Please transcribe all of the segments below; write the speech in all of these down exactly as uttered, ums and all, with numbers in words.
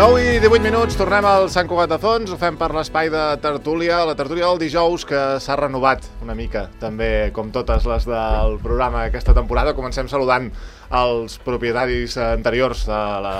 nou i divuit minuts, tornem al Sant Cugat de Fons, ho fem per l'espai de tertúlia, la tertúlia del dijous, que s'ha renovat una mica, també com totes les del programa aquesta temporada. Comencem saludant els propietaris anteriors, de la...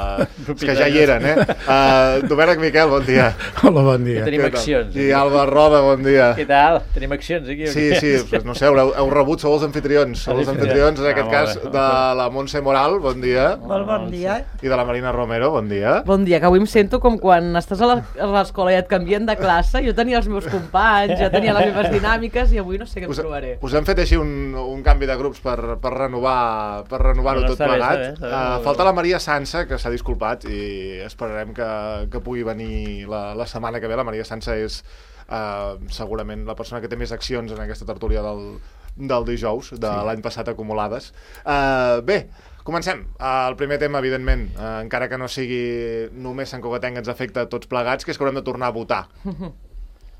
que ja hi eren, eh? Uh, Domènec Miquel, bon dia. Hola, bon dia. Que tenim accions. I Alba Roda, bon dia. Què tal? Tenim accions aquí? Sí, sí, pues no sé, heu, heu rebut, sou els anfitrions, sou els anfitrions, en aquest ah, cas, de la Montse Moral, bon dia. Molt bon dia. I de la Marina Romero, bon dia. Bon dia, que avui em sento com quan estàs a l'escola i et canvien de classe. Jo tenia els meus companys, jo tenia les meves dinàmiques i avui no sé què em trobaré. Us hem fet així un, un canvi de grups per, per renovar per renovar-ho tot plegat. Uh, falta la Maria Sansa, que s'ha disculpat, i esperarem que, que pugui venir la, la setmana que ve. La Maria Sansa és uh, segurament la persona que té més accions en aquesta tertúlia del, del dijous, de sí. l'any passat acumulades. Uh, bé, comencem. Uh, el primer tema, evidentment, uh, encara que no sigui només Sant Cugatenc, ens afecta a tots plegats, que és que haurem de tornar a votar.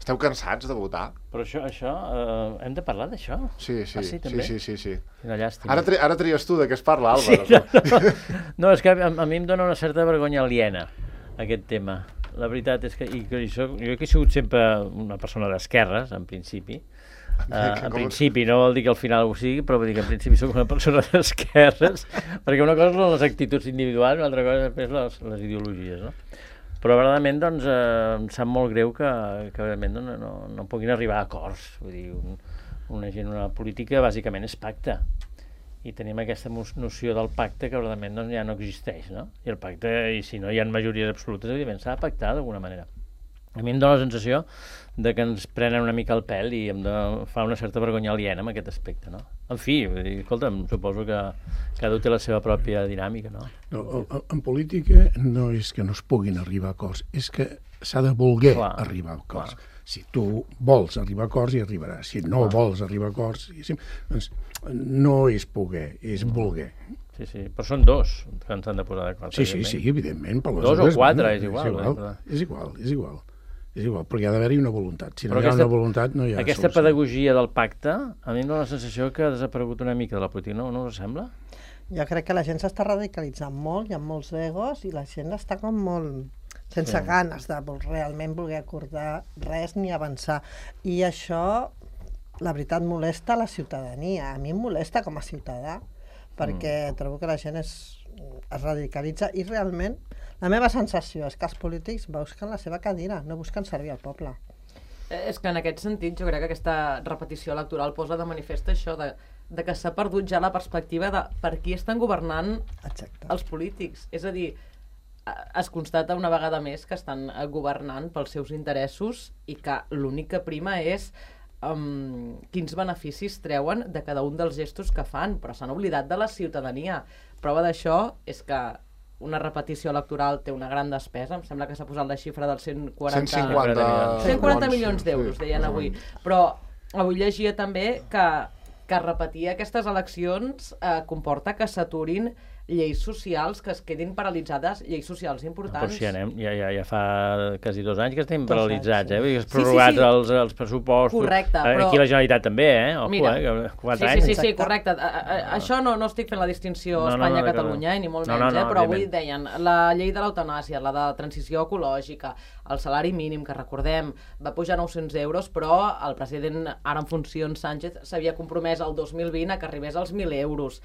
Esteu cansats de votar? Però això, això eh, hem de parlar d'això? Sí, sí, ah, sí, sí, sí, sí, sí. Quina llàstima. Ara, tri ara tries tu de què es parla, Alba. Sí, no, no, és que a, a mi em dona una certa vergonya aliena, aquest tema. La veritat és que, i, que soc, jo que he sigut sempre una persona d'esquerres, en principi, Uh, en principi, no vol dir que al final ho sigui, però vull dir que en principi soc una persona d'esquerres, perquè una cosa són les actituds individuals, una altra cosa després les, les ideologies, no? Però, verdament, doncs, eh, em sap molt greu que, que realment, no, no, no puguin arribar a acords. Vull dir, un, una gent, una política, bàsicament, és pacte. I tenim aquesta noció del pacte que, verdament, doncs, ja no existeix, no? I el pacte, i si no hi ha majories absolutes, evidentment, s'ha de pactar d'alguna manera. A mi em dóna la sensació de que ens prenen una mica el pèl i em de, fa una certa vergonya aliena en aquest aspecte, no? En fi, vull dir, escolta'm, suposo que cada un té la seva pròpia dinàmica, no? No, en política no és que no es puguin arribar a acords, és que s'ha de voler clar, arribar a acords. Clar. Si tu vols arribar a acords, hi arribaràs. Si no clar. vols arribar a acords, doncs no és poder, és no. voler. Sí, sí, però són dos que ens han de posar d'acord. Sí, sí, sí, evidentment. Per les dos dues, o quatre, és igual. És igual, eh? és igual, és igual. És igual, perquè ha d'haver-hi una voluntat. Si no però hi ha aquesta, una voluntat, no hi ha aquesta solució. pedagogia del pacte, a mi em dóna la sensació que ha desaparegut una mica de la política, no, no us sembla? Jo crec que la gent s'està radicalitzant molt, hi ha molts egos i la gent està com molt sense sí. ganes de realment voler acordar res ni avançar. I això, la veritat, molesta la ciutadania. A mi em molesta com a ciutadà, perquè mm. trobo que la gent es, es radicalitza i realment la meva sensació és que els polítics busquen la seva cadira, no busquen servir al poble. És que en aquest sentit jo crec que aquesta repetició electoral posa de manifest això de, de que s'ha perdut ja la perspectiva de per qui estan governant Exacte. els polítics. És a dir, es constata una vegada més que estan governant pels seus interessos i que l'únic que prima és um, quins beneficis treuen de cada un dels gestos que fan, però s'han oblidat de la ciutadania. Prova d'això és que una repetició electoral té una gran despesa, em sembla que s'ha posat la xifra dels cent quaranta... cent cinquanta, cent quaranta milions d'euros, sí, deien avui. Però avui llegia també que, que repetir aquestes eleccions eh, comporta que s'aturin lleis socials, que es quedin paralitzades, lleis socials importants. Però si anem, ja, ja, ja fa quasi dos anys que estem dos paralitzats, anys, eh? Vull dir, es sí, prorrogats sí, sí. Els, els pressupostos. Correcte, però... Aquí la Generalitat també, eh? Ojo, Mira, eh? Quatre sí, anys. sí, sí, sí, correcte. A, a, a, això no, no estic fent la distinció no, no, Espanya-Catalunya, no, no, no. ni molt no, menys, no, no, eh? Però avui evidentment. deien la llei de l'eutanàsia, la de transició ecològica, el salari mínim, que recordem, va pujar nou-cents euros, però el president, ara en funcions, Sánchez, s'havia compromès el dos mil vint a que arribés als mil euros.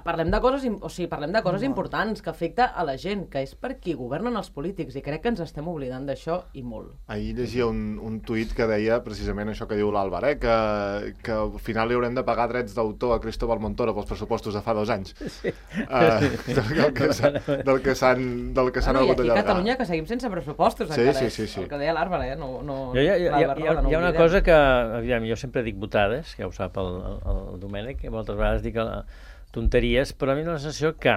Parlem de coses, o sigui, parlem de coses no. importants que afecta a la gent, que és per qui governen els polítics, i crec que ens estem oblidant d'això i molt. Ahir llegia un, un tuit que deia precisament això que diu l'Àlvar, eh? que, que al final li haurem de pagar drets d'autor a Cristóbal Montoro pels pressupostos de fa dos anys. Sí. Uh, del que s'han del que s'han del que s'han ah, no, hagut d'allargar. I aquí a Catalunya Catalunya que seguim sense pressupostos, sí, encara, sí, sí, sí. el que deia l'Àlvar, eh? No, no, hi ha, hi ha, hi ha, Roda, no hi ha una oblidem. cosa que, aviam, jo sempre dic botades, que ja ho sap el, el, el Domènec, que moltes vegades dic la, tonteries, però a mi la sensació que,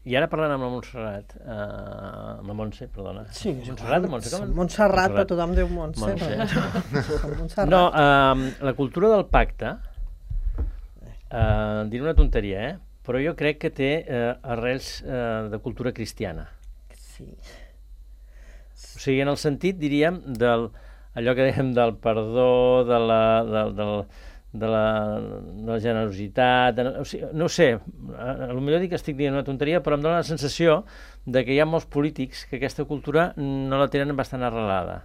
i ara parlant amb la Montserrat, eh, amb la Montse, perdona. Sí, Montserrat, Montse, com? Montserrat, però tothom diu Montse. Montse. No, eh, la cultura del pacte, eh, diré una tonteria, eh? Però jo crec que té eh, arrels eh, de cultura cristiana. Sí. O sigui, en el sentit, diríem, del, allò que dèiem del perdó, de la, del, del, de la, de la generositat, de, o sigui, no ho sé, potser dic que estic dient una tonteria, però em dóna la sensació de que hi ha molts polítics que aquesta cultura no la tenen bastant arrelada.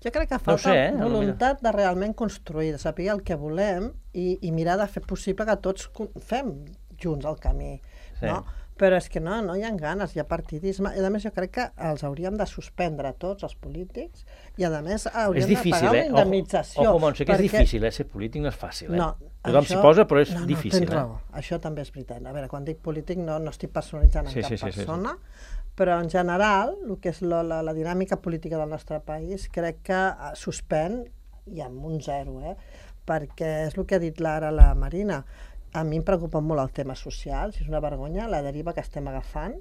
Jo crec que falta no sé, eh? voluntat de realment construir, de saber el que volem i, i mirar de fer possible que tots fem junts el camí, sí. no? Però és que no, no hi ha ganes, hi ha partidisme, i a més jo crec que els hauríem de suspendre tots els polítics, i a més hauríem difícil, de pagar una eh? indemnització. Ojo, ojo Montse, que perquè... és difícil, eh? Ser polític no és fàcil, eh? No, tothom s'hi posa, però és no, no, difícil. Tens raó, eh? Això també és veritat. A veure, quan dic polític no, no estic personalitzant en sí, cap sí, sí, persona, sí, sí. però en general, el que és la, la, la dinàmica política del nostre país, crec que suspèn, i amb un zero, eh? Perquè és el que ha dit ara la Marina. A mi em preocupa molt el tema social, si és una vergonya, la deriva que estem agafant,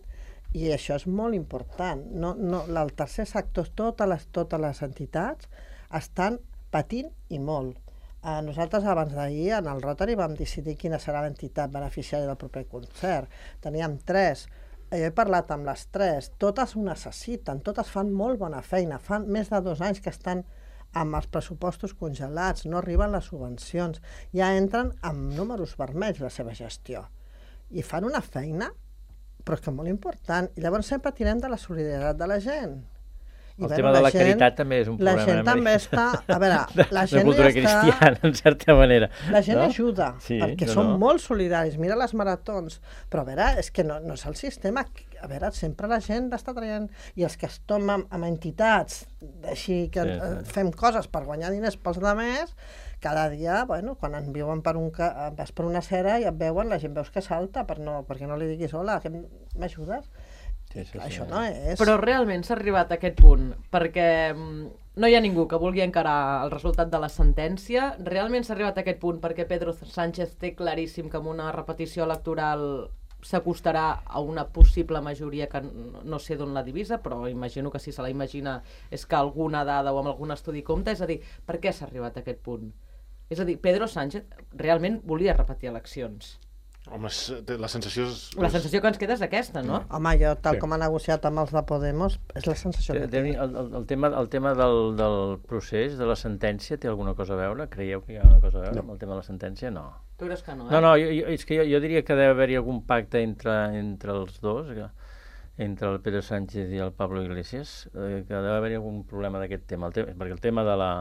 i això és molt important. No, no, el tercer sector, totes les, totes les entitats estan patint i molt. Eh, nosaltres abans d'ahir en el Rotary vam decidir quina serà l'entitat beneficiària del proper concert. Teníem tres. Jo he parlat amb les tres. Totes ho necessiten, totes fan molt bona feina. Fan més de dos anys que estan amb els pressupostos congelats, no arriben les subvencions, ja entren amb números vermells la seva gestió. I fan una feina, però és que molt important. I llavors sempre tirem de la solidaritat de la gent. I el bueno, tema de la gent, caritat també és un problema. La gent també està... A veure, la gent de cultura ja està... cristiana, en certa manera. La gent no? ajuda, sí, perquè no, són no. molt solidaris. Mira les maratons. Però a veure, és que no, no és el sistema. A veure, sempre la gent està traient... I els que es tomen amb entitats, així que sí, sí. fem coses per guanyar diners pels altres, cada dia, bueno, quan en viuen per, un, vas per una cera i et veuen, la gent veus que salta per no, perquè no li diguis hola, que m'ajudes? Sí, sí, Això sí, no és... Però realment s'ha arribat a aquest punt, perquè no hi ha ningú que vulgui encarar el resultat de la sentència. Realment s'ha arribat a aquest punt perquè Pedro Sánchez té claríssim que amb una repetició electoral s'acostarà a una possible majoria que no sé d'on la divisa, però imagino que si se la imagina és que alguna dada o amb algun estudi compta. És a dir, per què s'ha arribat a aquest punt? És a dir, Pedro Sánchez realment volia repetir eleccions. Home, la sensació és... La sensació que ens queda és aquesta, no? Home, jo, tal sí. com ha negociat amb els de Podemos, és la sensació que té. El, el, el tema, el tema del, del procés, de la sentència, té alguna cosa a veure? Creieu que hi ha alguna cosa a veure no. amb el tema de la sentència? No. Tu creus que no, eh? No, no, jo, jo, és que jo, jo diria que deu haver-hi algun pacte entre, entre els dos, que, entre el Pedro Sánchez i el Pablo Iglesias, eh, que deu haver-hi algun problema d'aquest tema, el tema, perquè el tema de la...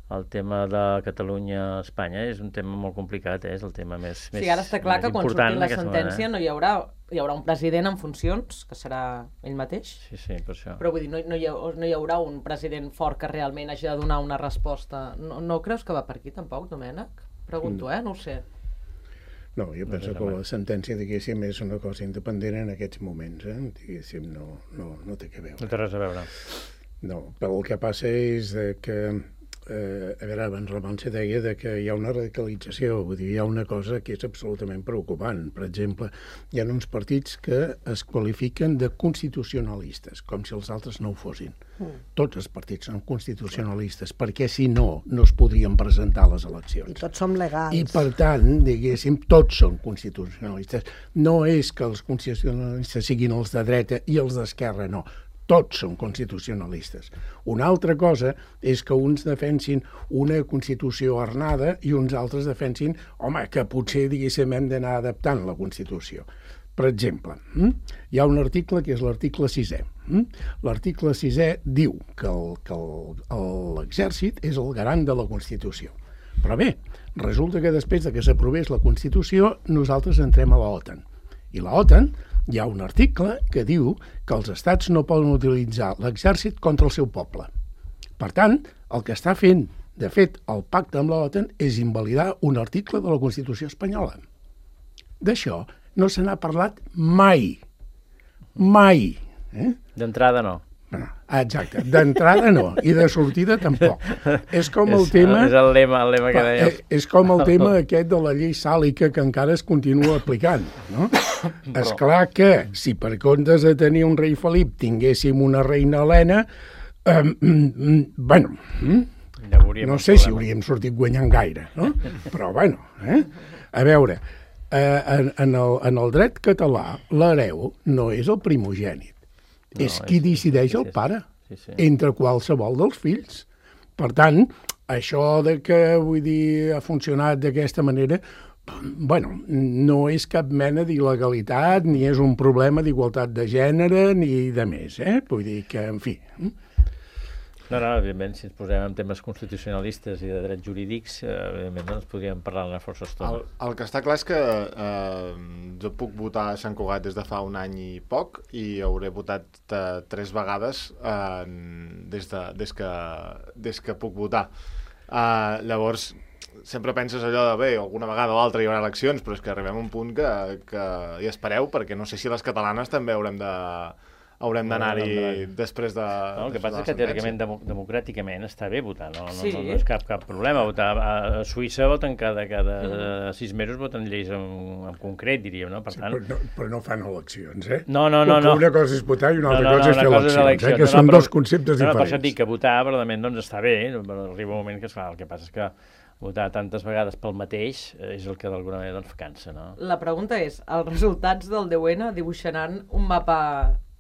El tema de Catalunya-Espanya és un tema molt complicat, eh? És el tema més, sí, més ara està clar que quan surti la sentència eh? no hi haurà, hi haurà un president en funcions, que serà ell mateix. Sí, sí, per això. Però vull dir, no, no, hi, ha, no hi haurà un president fort que realment hagi de donar una resposta. No, no creus que va per aquí, tampoc, Domènec? Pregunto, eh? No ho sé. No, jo penso que la sentència, diguéssim, és una cosa independent en aquests moments, eh? Diguéssim, no, no, no té que veure. No té res a veure. No, però el que passa és que Eh, a veure, abans la Montse deia de que hi ha una radicalització, vull dir, hi ha una cosa que és absolutament preocupant. Per exemple, hi ha uns partits que es qualifiquen de constitucionalistes, com si els altres no ho fossin. Mm. Tots els partits són constitucionalistes, perquè si no, no es podrien presentar a les eleccions. I tots som legals. I per tant, diguéssim, tots són constitucionalistes. No és que els constitucionalistes siguin els de dreta i els d'esquerra, no. Tots són constitucionalistes. Una altra cosa és que uns defensin una Constitució arnada i uns altres defensin, home, que potser, diguéssim, hem d'anar adaptant la Constitució. Per exemple, hi ha un article que és l'article sisè. L'article sisè diu que l'exèrcit és el garant de la Constitució. Però bé, resulta que després de que s'aprovés la Constitució, nosaltres entrem a l'OTAN. I l'OTAN hi ha un article que diu que els estats no poden utilitzar l'exèrcit contra el seu poble. Per tant, el que està fent, de fet, el pacte amb l'OTAN és invalidar un article de la Constitució espanyola. D'això no se n'ha parlat mai. Mai. Eh? D'entrada no. Exacte, d'entrada no, i de sortida tampoc. És com el és, tema... És el lema, el lema que deia. És, és com el tema aquest de la llei sàlica que encara es continua aplicant, no? És clar que si per comptes de tenir un rei Felip tinguéssim una reina Helena, eh, bueno, ja no sé si hauríem sortit guanyant gaire, no? Però bueno, eh? A veure, eh, en, en, el, en el dret català l'hereu no és el primogènit. No, és qui decideix el pare, sí, sí. entre qualsevol dels fills. Per tant, això de que, vull dir, ha funcionat d'aquesta manera, bueno, no és cap mena d'il·legalitat, ni és un problema d'igualtat de gènere, ni de més, eh? Vull dir que, en fi... No, no, evidentment, si ens posem en temes constitucionalistes i de drets jurídics, eh, evidentment, doncs podríem parlar-ne força estona. El, el que està clar és que eh, jo puc votar a Sant Cugat des de fa un any i poc i hauré votat eh, tres vegades eh, des, de, des, que, des que puc votar. Eh, llavors, sempre penses allò de, bé, alguna vegada o altra hi haurà eleccions, però és que arribem a un punt que, que hi espereu, perquè no sé si les catalanes també haurem de... haurem d'anar-hi després de... No, el que passa és que teòricament, democràticament, està bé votar, no, no, sí. no, no és cap, cap problema. Votar a Suïssa voten cada, cada mm. sis mesos, voten lleis en, en concret, diríem, no? Per tant... Sí, però, no, però no fan eleccions, eh? No, no, no. no. Una cosa és votar i una altra no, no, cosa és fer eleccions, eleccions, eh? Que no, són no, però, dos conceptes no, diferents. Per això et dic que votar, verdament, doncs està bé, però arriba un moment que es fa. El que passa és que votar tantes vegades pel mateix és el que d'alguna manera doncs, cansa, no? La pregunta és, els resultats del deu ene dibuixaran un mapa...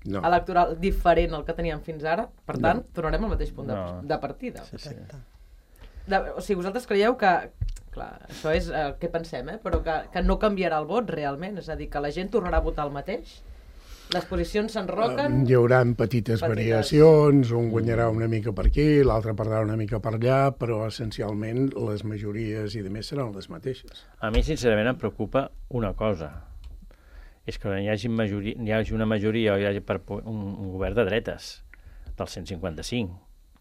No. electoral diferent al que teníem fins ara, per tant, no. tornarem al mateix punt de, no. de partida. Sí, sí. De, o sigui, vosaltres creieu que, clar, això és el que pensem, eh? Però que, que no canviarà el vot realment, és a dir, que la gent tornarà a votar el mateix? Les posicions s'enroquen? Hi haurà petites, petites variacions, un guanyarà una mica per aquí, l'altre perdrà una mica per allà, però essencialment les majories i de més seran les mateixes. A mi, sincerament, em preocupa una cosa, és que hi hagi, majoria, hi hagi una majoria o hi hagi per un, un govern de dretes del cent cinquanta-cinc.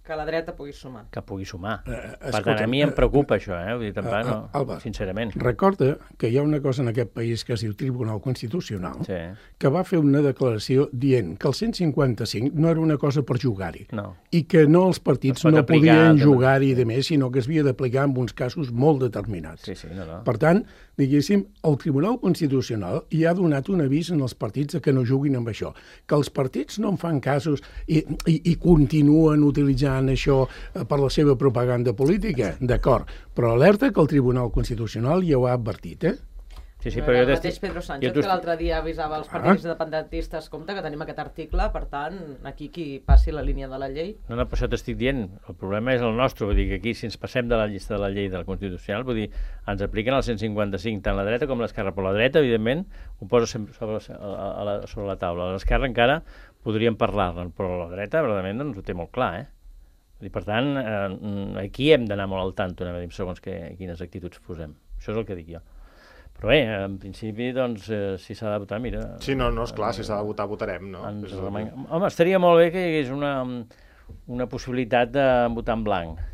Que la dreta pugui sumar. Que pugui sumar. Uh, per tant, a mi em preocupa uh, això, eh? Vull dir, tampoc, uh, uh, no, Alba, sincerament. Recorda que hi ha una cosa en aquest país que es diu Tribunal Constitucional, sí. que va fer una declaració dient que el cent cinquanta-cinc no era una cosa per jugar-hi, no. i que no els partits no podien jugar-hi de més, sinó que es havia d'aplicar en uns casos molt determinats. Sí, sí, no, no. Per tant, diguéssim, el Tribunal Constitucional hi ha donat un avís en els partits que no juguin amb això, que els partits no en fan casos i, i, i continuen utilitzant això per la seva propaganda política, d'acord, però alerta que el Tribunal Constitucional ja ho ha advertit, eh? Sí, sí, no però era jo el mateix Pedro Sánchez que l'altre dia avisava els partits ah. independentistes, compte que tenim aquest article, per tant, aquí qui passi la línia de la llei. No, no, per això t'estic dient, el problema és el nostre, vull dir que aquí si ens passem de la llista de la llei de la Constitucional, vull dir, ens apliquen el cent cinquanta-cinc tant la dreta com l'esquerra, però la dreta, evidentment, ho posa sobre, a la, sobre la taula. L'esquerra encara podríem parlar-ne, però la dreta, verdament, doncs ho té molt clar, eh? I per tant, eh, aquí hem d'anar molt al tanto, anem a dir, segons que, quines actituds posem. Això és el que dic jo. Però bé, en principi, doncs, eh, si s'ha de votar, mira... Sí, no, no, esclar, eh, si s'ha de votar, votarem, no? Ens remeng... Home, estaria molt bé que hi hagués una, una possibilitat de votar en blanc.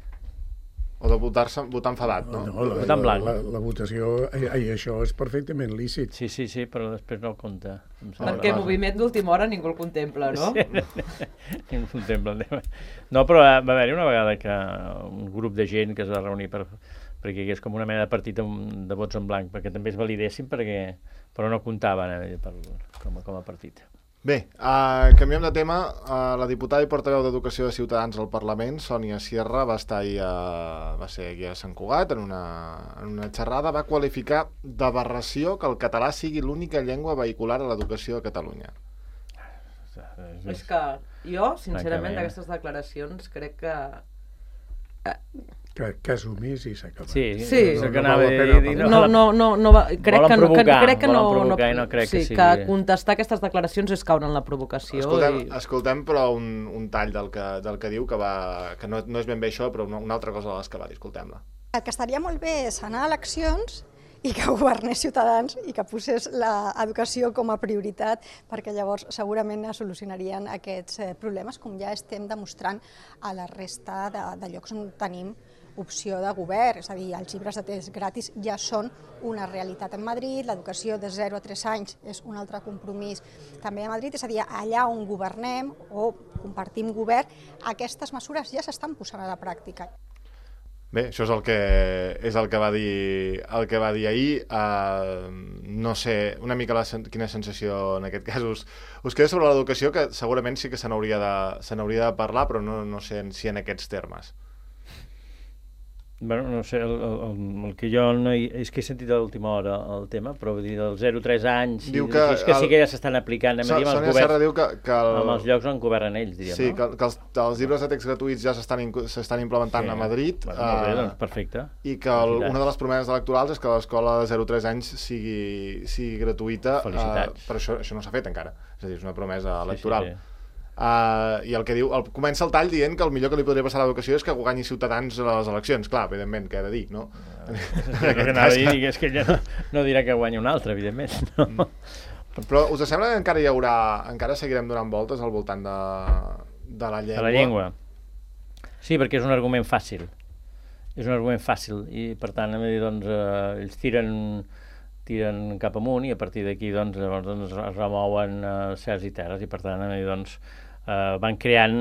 O de votar-se, votar enfadat, no? No, la, votar en blanc. La, la, la votació, i això és perfectament lícit. Sí, sí, sí, però després no compta. Perquè el moviment d'última hora ningú el contempla, no? Sí, ningú el contempla. No, però va haver-hi una vegada que un grup de gent que es va reunir per, perquè hi hagués com una mena de partit de vots en blanc, perquè també es validessin, perquè, però no comptaven eh, per, com, a, com a partit. Bé, uh, canviem de tema. Uh, la diputada i portaveu d'Educació de Ciutadans al Parlament, Sònia Sierra, va estar ahir a, va ser aquí a Sant Cugat en una, en una xerrada, va qualificar d'aberració que el català sigui l'única llengua vehicular a l'educació a Catalunya. És que jo, sincerament, d'aquestes declaracions crec que... Que, que has omís i s'ha acabat. Sí, sí. No, no, no, dir, no, no, no, no va, crec que no, que, crec que no, no, no crec sí, que sigui... que contestar aquestes declaracions és caure en la provocació. Escoltem, i... escoltem però un, un tall del que, del que diu, que, va, que no, no és ben bé això, però una, una altra cosa de les que va dir, escoltem-la. El que estaria molt bé és anar a eleccions i que governés Ciutadans i que posés l'educació com a prioritat, perquè llavors segurament es solucionarien aquests problemes, com ja estem demostrant a la resta de, de llocs on tenim opció de govern, és a dir, els llibres de text gratis ja són una realitat en Madrid, l'educació de zero a tres anys és un altre compromís també a Madrid, és a dir, allà on governem o compartim govern, aquestes mesures ja s'estan posant a la pràctica. Bé, això és el que, és el que va dir, el que va dir ahir. Uh, no sé, una mica la, quina sensació en aquest cas us, us queda sobre l'educació, que segurament sí que se n'hauria de, se n'hauria de parlar, però no, no sé si en aquests termes. Bueno, no sé, el, el, el que jo no hi, és que he sentit a l'última hora el tema, però vull dir, dels zero a tres anys, diu i, que, és que el, sí que ja s'estan aplicant, anem a dir, amb els Sònia Serra governs, diu que, que el, amb els llocs on governen ells, diríem, sí, no? que, que els, els llibres de text gratuïts ja s'estan implementant Sí. a Madrid. Bueno, molt bé, doncs perfecte. I que el, una de les promeses electorals és que l'escola de zero a tres anys sigui, sigui gratuïta. Felicitats. Uh, però això, això no s'ha fet encara. És a dir, és una promesa electoral. Sí, sí, sí. Uh, I el que diu, el, comença el tall dient que el millor que li podria passar a l'educació és que guanyi Ciutadans a les eleccions. Clar, evidentment, què he de dir, no? Que anava a dir, és que ja no, no dirà que guanyi un altre, evidentment. No? Mm. Però us sembla que encara hi haurà, encara seguirem donant voltes al voltant de, de la llengua? De la llengua. Sí, perquè és un argument fàcil. És un argument fàcil i, per tant, hem de dir, doncs, eh, ells tiren, tiren cap amunt i a partir d'aquí, doncs, llavors, doncs, es remouen eh, cels i terres i, per tant, hem de dir, doncs, eh, van creant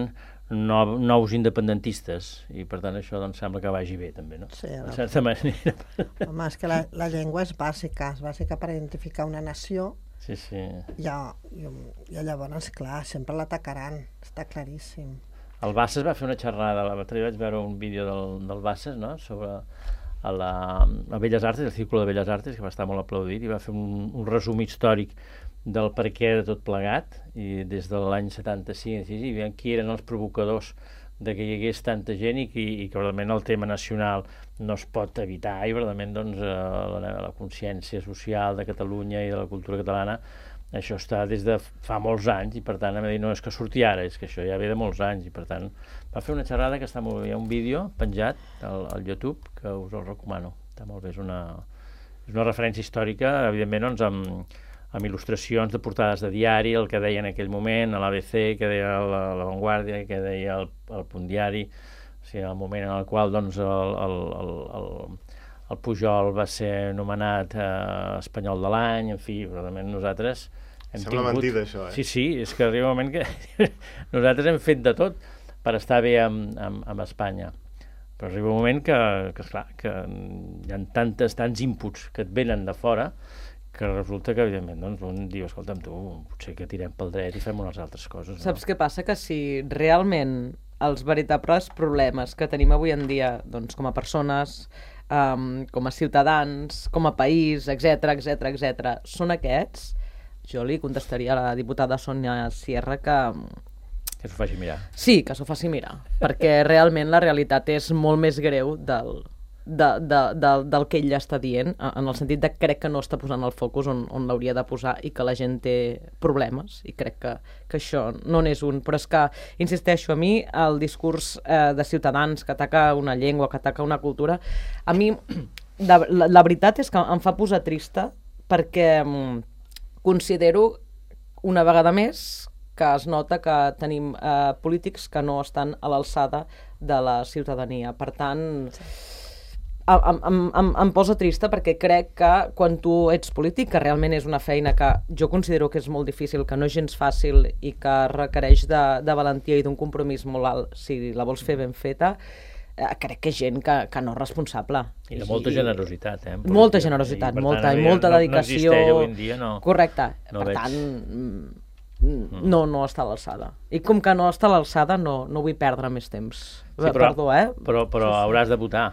no, nous independentistes i, per tant, això, doncs, sembla que vagi bé, també, no? Sí, no. De certa manera. Home, és que la, la llengua és bàsica, és bàsica per identificar una nació. Sí, sí. I, i, i llavors, clar, sempre l'atacaran, està claríssim. El Bassas va fer una xerrada, l'altre dia vaig veure un vídeo del, del Bassas, no?, sobre a la a Belles Artes, el Círculo de Belles Artes, que va estar molt aplaudit, i va fer un, un resum històric del per què de tot plegat, i des de l'any setanta-cinc, i, i qui eren els provocadors de que hi hagués tanta gent i que, i que realment el tema nacional no es pot evitar, i realment doncs, la, la consciència social de Catalunya i de la cultura catalana, això està des de fa molts anys, i per tant, a dir, no és que surti ara, és que això ja ve de molts anys, i per tant, va fer una xerrada que està molt bé, hi ha un vídeo penjat al, al YouTube que us el recomano, està molt bé, és una, és una referència històrica, evidentment, doncs, amb, amb il·lustracions de portades de diari, el que deia en aquell moment, a l'A B C, que deia la, la Vanguardia, que deia el, el Punt Diari, o sigui, el moment en el qual, doncs, el, el, el, el el Pujol va ser nomenat eh, Espanyol de l'any, en fi, realment nosaltres hem Sembla tingut... mentida, això, eh? Sí, sí, és que arriba un moment que nosaltres hem fet de tot per estar bé amb, amb, amb Espanya. Però arriba un moment que, que esclar, que hi ha tantes, tants inputs que et venen de fora que resulta que, evidentment, doncs, un diu, escolta'm, tu, potser que tirem pel dret i fem unes altres coses. No? Saps què passa? Que si realment els veritables problemes que tenim avui en dia, doncs, com a persones, um, com a ciutadans, com a país, etcètera, etcètera, etcètera, són aquests, jo li contestaria a la diputada Sònia Sierra que... Que s'ho faci mirar. Sí, que s'ho faci mirar, perquè realment la realitat és molt més greu del, de, de, de, del que ella està dient, en el sentit de que crec que no està posant el focus on, on l'hauria de posar i que la gent té problemes, i crec que, que això no n'és un. Però és que, insisteixo, a mi el discurs eh, de Ciutadans que ataca una llengua, que ataca una cultura, a mi de, la, la veritat és que em fa posar trista perquè mm, considero una vegada més que es nota que tenim eh, polítics que no estan a l'alçada de la ciutadania. Per tant, em, em, em, em posa trista perquè crec que quan tu ets polític, que realment és una feina que jo considero que és molt difícil, que no és gens fàcil i que requereix de, de valentia i d'un compromís molt alt, si la vols fer ben feta, eh, crec que és gent que, que no és responsable. I de molta generositat, eh? Molta generositat, i, molta, tant, i molta no, dedicació. No existeix avui en dia, no. Correcte. No per veig. tant... no, no està a l'alçada. I com que no està a l'alçada, no, no vull perdre més temps. Sí, però, Perdó, eh? Però, però hauràs de votar.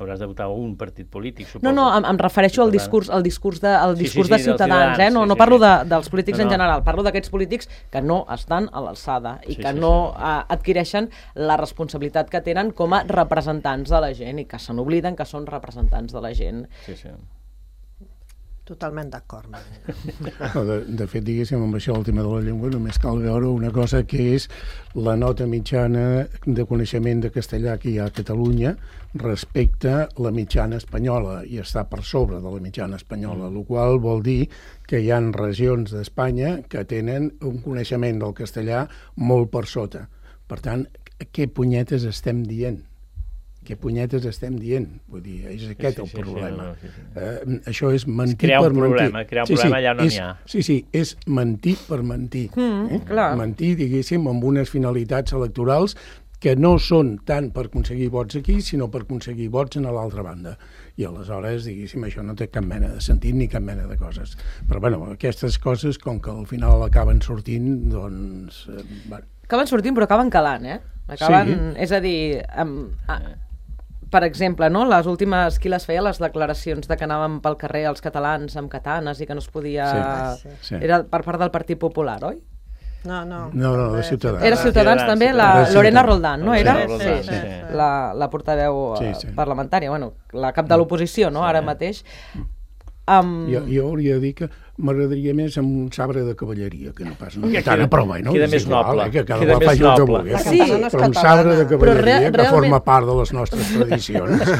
Hauràs de votar un partit polític, suposo. No, no, em, em refereixo al discurs, al discurs de, al discurs sí, sí, sí, de Ciutadans, eh? No, sí, no sí, parlo sí. de, dels polítics no, no. en general, parlo d'aquests polítics que no estan a l'alçada i sí, que sí, no sí. Uh, adquireixen la responsabilitat que tenen com a representants de la gent i que se n'obliden que són representants de la gent. Sí, sí. Totalment d'acord. No, de, de fet, diguéssim, amb això el tema de la llengua només cal veure una cosa que és la nota mitjana de coneixement de castellà que hi ha a Catalunya respecte a la mitjana espanyola, i està per sobre de la mitjana espanyola, el qual vol dir que hi ha regions d'Espanya que tenen un coneixement del castellà molt per sota. Per tant, què punyetes estem dient? Què punyetes estem dient? Vull dir, és aquest sí, sí, el problema. Sí, sí, sí. Uh, això és mentir crear per un problema, mentir. Crear un sí, problema sí, allà no és, n'hi ha. Sí, sí, és mentir per mentir. Mm, eh? clar. Mentir, diguéssim, amb unes finalitats electorals que no són tant per aconseguir vots aquí, sinó per aconseguir vots a l'altra banda. I aleshores, diguéssim, això no té cap mena de sentit ni cap mena de coses. Però, bueno, aquestes coses, com que al final acaben sortint, doncs... Eh, bueno. Acaben sortint, però acaben calant, eh? Acaben, Sí. És a dir... Um, a, per exemple, no? Les últimes, qui les feia, les declaracions de que anàvem pel carrer els catalans amb katanes i que no es podia... Sí, sí. Era per part del Partit Popular, oi? No, no. No, no, de Ciutadans. Era Ciutadans també, la Lorena Roldán, no era? Sí, Sí, sí, sí. la, la portaveu Sí, eh, sí. parlamentària, bueno, la cap de l'oposició, no?, ara mateix. Um... Jo, jo hauria de dir que m'agradaria més amb un sabre de cavalleria, que no pas una katana, però bueno, queda és més igual, noble. eh, que cada Queda qual més faci el que noble. vulgui. La Sí, katana no és Però un catalana. sabre de Però cavalleria re- que realment- forma part de les nostres tradicions.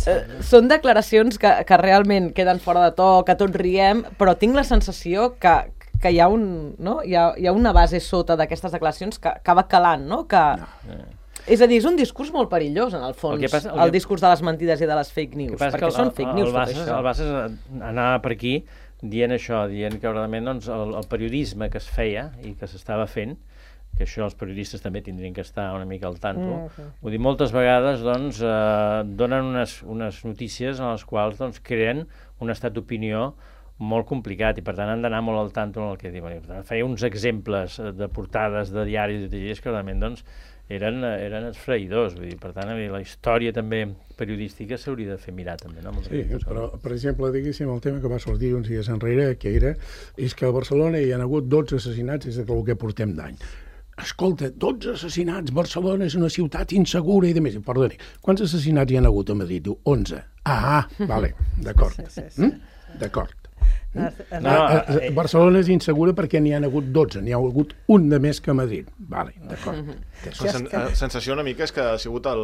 Eh, són declaracions que, que realment queden fora de to, que tots riem, però tinc la sensació que, que hi ha, un, no? hi, ha, hi ha una base sota d'aquestes declaracions que acaba calant, no? Que... No. És a dir, és un discurs molt perillós, en el fons, el, passa, el, el que... discurs de les mentides i de les fake news, perquè el, són fake news, el, el tot Bassas, això. El Bassas anava per aquí dient això, dient que realment doncs, el, el periodisme que es feia i que s'estava fent, que això els periodistes també tindrien que estar una mica al tanto, mm-hmm. vull dir, moltes vegades doncs, eh, donen unes, unes notícies en les quals doncs, creen un estat d'opinió molt complicat i per tant han d'anar molt al tanto en el que diuen. Feia uns exemples de portades de diaris i de diaris que realment doncs, eren, eren esfraïdors, vull dir, per tant la història també periodística s'hauria de fer mirar també, no? Sí, però per exemple, diguéssim, el tema que va sortir uns dies enrere, que era, és que a Barcelona hi ha hagut dotze assassinats des del que portem d'any. Escolta, dotze assassinats, Barcelona és una ciutat insegura i de més. Perdoni, quants assassinats hi ha hagut a Madrid? Diu, onze. Ah, vale, d'acord. Sí, sí, sí. Mm? D'acord. No, No, no, eh, Barcelona és insegura perquè n'hi ha hagut dotze, n'hi ha hagut un de més que a Madrid. Vale, d'acord. La sen sensació una mica és que ha sigut el,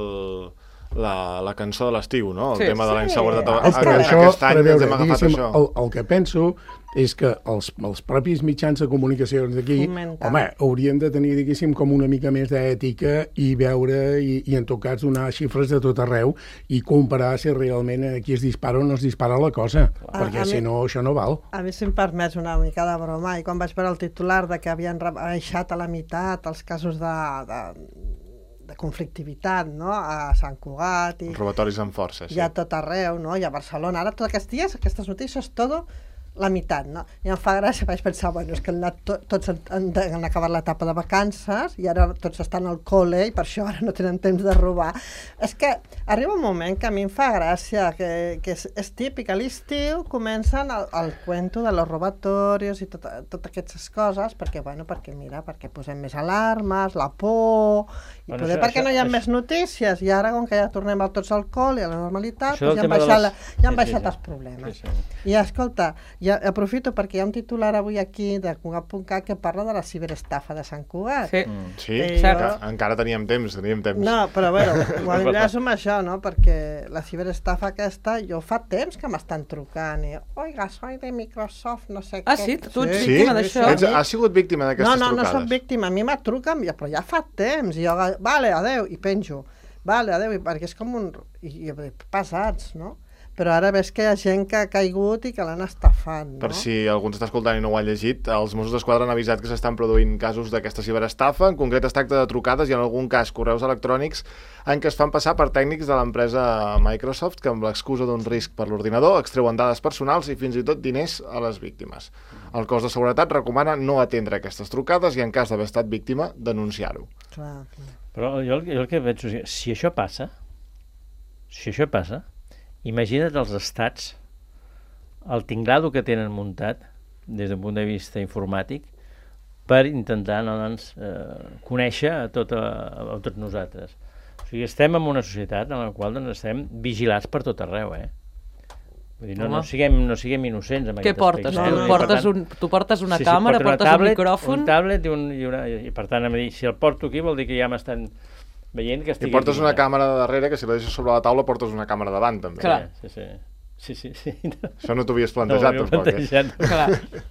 la, la cançó de l'estiu, no? El Sí, tema de la sí. inseguretat. És que això, Aquest any per ens veure, hem agafat diguéssim, això. el, el que penso és que els, els propis mitjans de comunicació d'aquí, Fomenten. home, haurien de tenir, diguéssim, com una mica més d'ètica i veure, i, i en tot cas donar xifres de tot arreu i comparar si realment aquí es dispara o no es dispara la cosa, A- perquè a si mi- no, això no val. A mi, si em permets una mica de broma, i quan vaig veure el titular de que havien rebaixat a la meitat els casos de, de, de conflictivitat, no?, a Sant Cugat i, Robatoris amb força, sí. i a tot arreu, no?, i a Barcelona. Ara, tots aquests dies, aquestes notícies, tot la meitat, no? I em fa gràcia, vaig pensar, bueno, és que han, anat to tots han, han acabat l'etapa de vacances i ara tots estan al col·le i per això ara no tenen temps de robar. És que arriba un moment que a mi em fa gràcia, que, que és, és típic, a l'estiu comencen el, el cuento de los robatorios i tot, totes aquestes coses, perquè, bueno, perquè mira, perquè posem més alarmes, la por, i Bueno, poder això- perquè això- no hi ha això- més notícies, i ara, com que ja tornem a tots al col·le i a la normalitat, Això doncs del ja han tema de baixat, les- la, ja han sí, sí, baixat sí. els problemes. Sí, sí. I escolta, ja aprofito perquè hi ha un titular avui aquí de Cugat punt cat que parla de la ciberestafa de Sant Cugat. Sí. Mm. Sí, Eh, encara, jo- encara teníem temps, teníem temps. No, però bueno, ho enllaço amb això, no? Perquè la ciberestafa aquesta, jo fa temps que m'estan trucant i, oiga, soy de Microsoft, no sé Ah, què. sí? Tu ets Sí? víctima d'això? Ets, has sigut víctima No, d'aquestes no, no trucades? soc víctima, a mi me truquen, ja- però ja fa temps, i jo, vale, adeu, i penjo, vale, adeu, i perquè és com un... I, i pesats, no? Però ara ves que hi ha gent que ha caigut i que l'han estafat, no? Per si algú ens està escoltant i no ho ha llegit, els Mossos d'Esquadra han avisat que s'estan produint casos d'aquesta ciberestafa. En concret es tracta de trucades i en algun cas correus electrònics en què es fan passar per tècnics de l'empresa Microsoft que amb l'excusa d'un risc per l'ordinador extreuen dades personals i fins i tot diners a les víctimes. El cos de seguretat recomana no atendre aquestes trucades i en cas d'haver estat víctima denunciar-ho. Clar, clar. Però jo, el- jo el que veig és que si això passa, si això passa, imagina't els estats, el tinglado que tenen muntat des d'un punt de vista informàtic per intentar no, doncs, eh, conèixer a, tot, a, a tots nosaltres. O sigui, estem en una societat en la qual doncs, estem vigilats per tot arreu, eh? Vull dir, no, no, Home. siguem, no siguem innocents en Què aquest portes? aspecte. No, tu, no, portes Per un, tu portes una Sí, sí, càmera, porto una portes tablet, un micròfon... un tablet i, un, i, una, i per tant, em dir, si el porto aquí vol dir que ja m'estan veient que I estic portes aquí, una ja. càmera de darrere, que si la deixes sobre la taula portes una càmera davant, també. Clar. Sí, sí, sí, sí, sí. Això no t'ho havies No ho plantejat, havia tampoc. Eh? plantejat. Clar.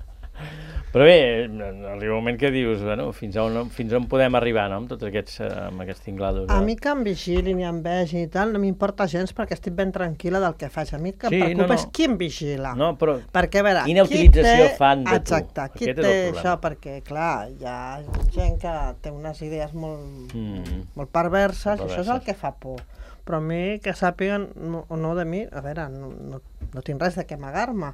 Però bé, arriba un moment que dius, bueno, fins a on, fins a on podem arribar, no?, amb tots aquests, eh, amb aquests tinglados. A mi que em vigilin i em vegi i tal, no m'importa gens perquè estic ben tranquil·la del que faig. A mi el que em Sí, preocupa no, no. és qui em vigila. No, però Perquè, a veure, quina qui utilització té... fan de tu? Exacte, qui Aquest és té el problema. això? Perquè, clar, hi ha gent que té unes idees molt, Mm. molt perverses, Molt i això és el perverses. que fa por. Però a mi, que sàpiguen, no, o no de mi, a veure, no, no, no tinc res de què amagar-me,